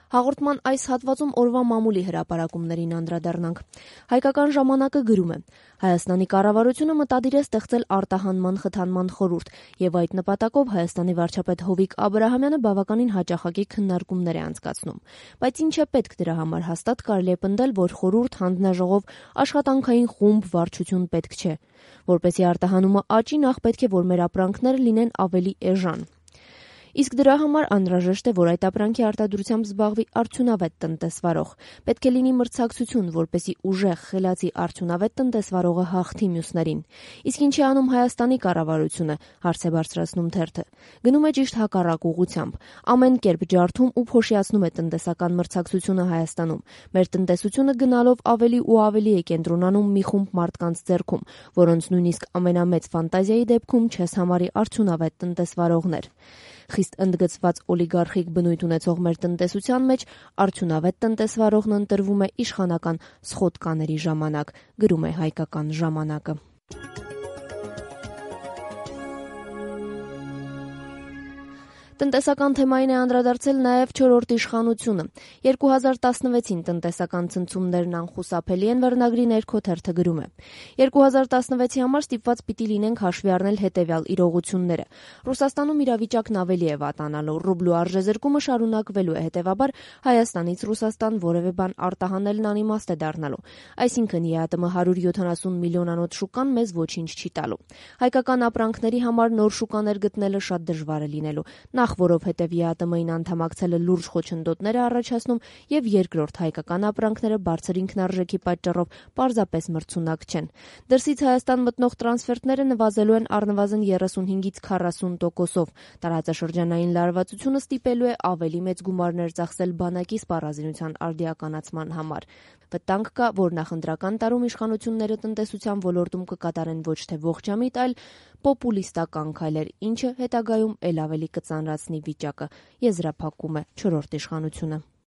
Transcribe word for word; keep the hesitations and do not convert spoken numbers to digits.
Հաղորդման այս հատվածում օրվա մամուլի հրապարակումներին անդրադառնանք։ Հայկական ժամանակը գրում է. Հայաստանի կառավարությունը մտադիր է ստեղծել արտահանման խթանման խորհուրդ, եւ այդ նպատակով Հայաստանի վարչապետ Հովիկ Աբրահամյանը բավականին հաճախակի քննարկումներ է անցկացնում։ Բայց ինչ է պետք դրա համար, հաստատ կարելի է պնդել, որ խորհուրդ, հանձնաժողով, աշխատանքային խումբ, վարչություն պետք չէ։ Որպեսզի արտահանումը աճի, նախ պետք է, որ մեր ապրանքները լինեն ավելի էժան։ Իսկ դրա համար անհրաժեշտ է, որ այդ ապրանքի արտադրությամբ զբաղվի արդյունավետ տնտեսվարող։ Պետք է լինի մրցակցություն, որպեսզի ուժեղ, խելացի արդյունավետ տնտեսվարողը հաղթի մյուսներին։ Իսկ ինչ է անում Հայաստանի կառավարությունը, հարց է բարձրացնում թերթը։ Գնում է ճիշտ հակառակ ուղղությամբ։ Ամեն կերպ ջարդում ու փոշիացնում է տնտեսական մրցակցությունը Հայաստանում։ Մեր տնտեսությունը գնալով ավելի ու ավելի է կենտրոնանում մի խումբ մարդկանց ձեռքում, որոնց նույնիսկ ամենամեծ ֆանտազիայի դեպքում չես համարի արդյունավետ տնտեսվարողներ։ Խիստ ընդգծված օլիգարխիկ բնույթ ունեցող մեր տնտեսության մեջ արդյունավետ տնտեսվարողն ընտրվում է իշխանական սխոտկաների ժամանակ, գրում է Հայկական ժամանակը։ Տնտեսական թեմային է անդրադարձել նաև չորրորդ իշխանությունը։ երկու հազար տասնվեցին տնտեսական ցնցումներն անխուսափելի են վերնագրի ներքո թերթը գրում է. երկու հազար տասնվեցի համար ստիպված պիտի լինենք հաշվի առնել հետևյալ իրողությունները։ Ռուսաստանում իրավիճակն ավելի է վատանալու, ռուբլու արժեզրկումը շարունակվելու է, հետևաբար Հայաստանից Ռուսաստան որևէ բան արտահանելն անիմաստ է դառնալու։ Այսինքն ԵԱՏՄ հարյուր յոթանասուն միլիոնանոց շուկան մեզ ոչինչ չի տալու։ Հայկական ապրանքների համար նոր շուկաներ գտնելը շատ դժվար է լինելու։ Նախ որովհետև ԵԱՏՄ-ին անդամակցելը լուրջ խոչընդոտներ է առաջացնում, եւ երկրորդ հայկական ապրանքները բարձր ինքնարժեքի պատճառով պարզապես մրցունակ չեն։ Դրսից Հայաստան մտնող տրանսֆերտները նվազելու են առնվազն երեսունհինգից քառասուն տոկոսով։ Տարածաշրջանային լարվածությունը ստիպելու է ավելի մեծ գումարներ ծախսել բանակի սպառազինության արդիականացման համար։ Վտանգ կա, որ նախընտրական տարում իշխանությունները տնտեսության ոլորտում կկատարեն ոչ թե ողջամիտ, այլ պոպուլիստական քայլեր, ինչը հետագայում ել ավելի կծանրացնի վիճակը, եզրափակում է չորրորդ իշխանությունը։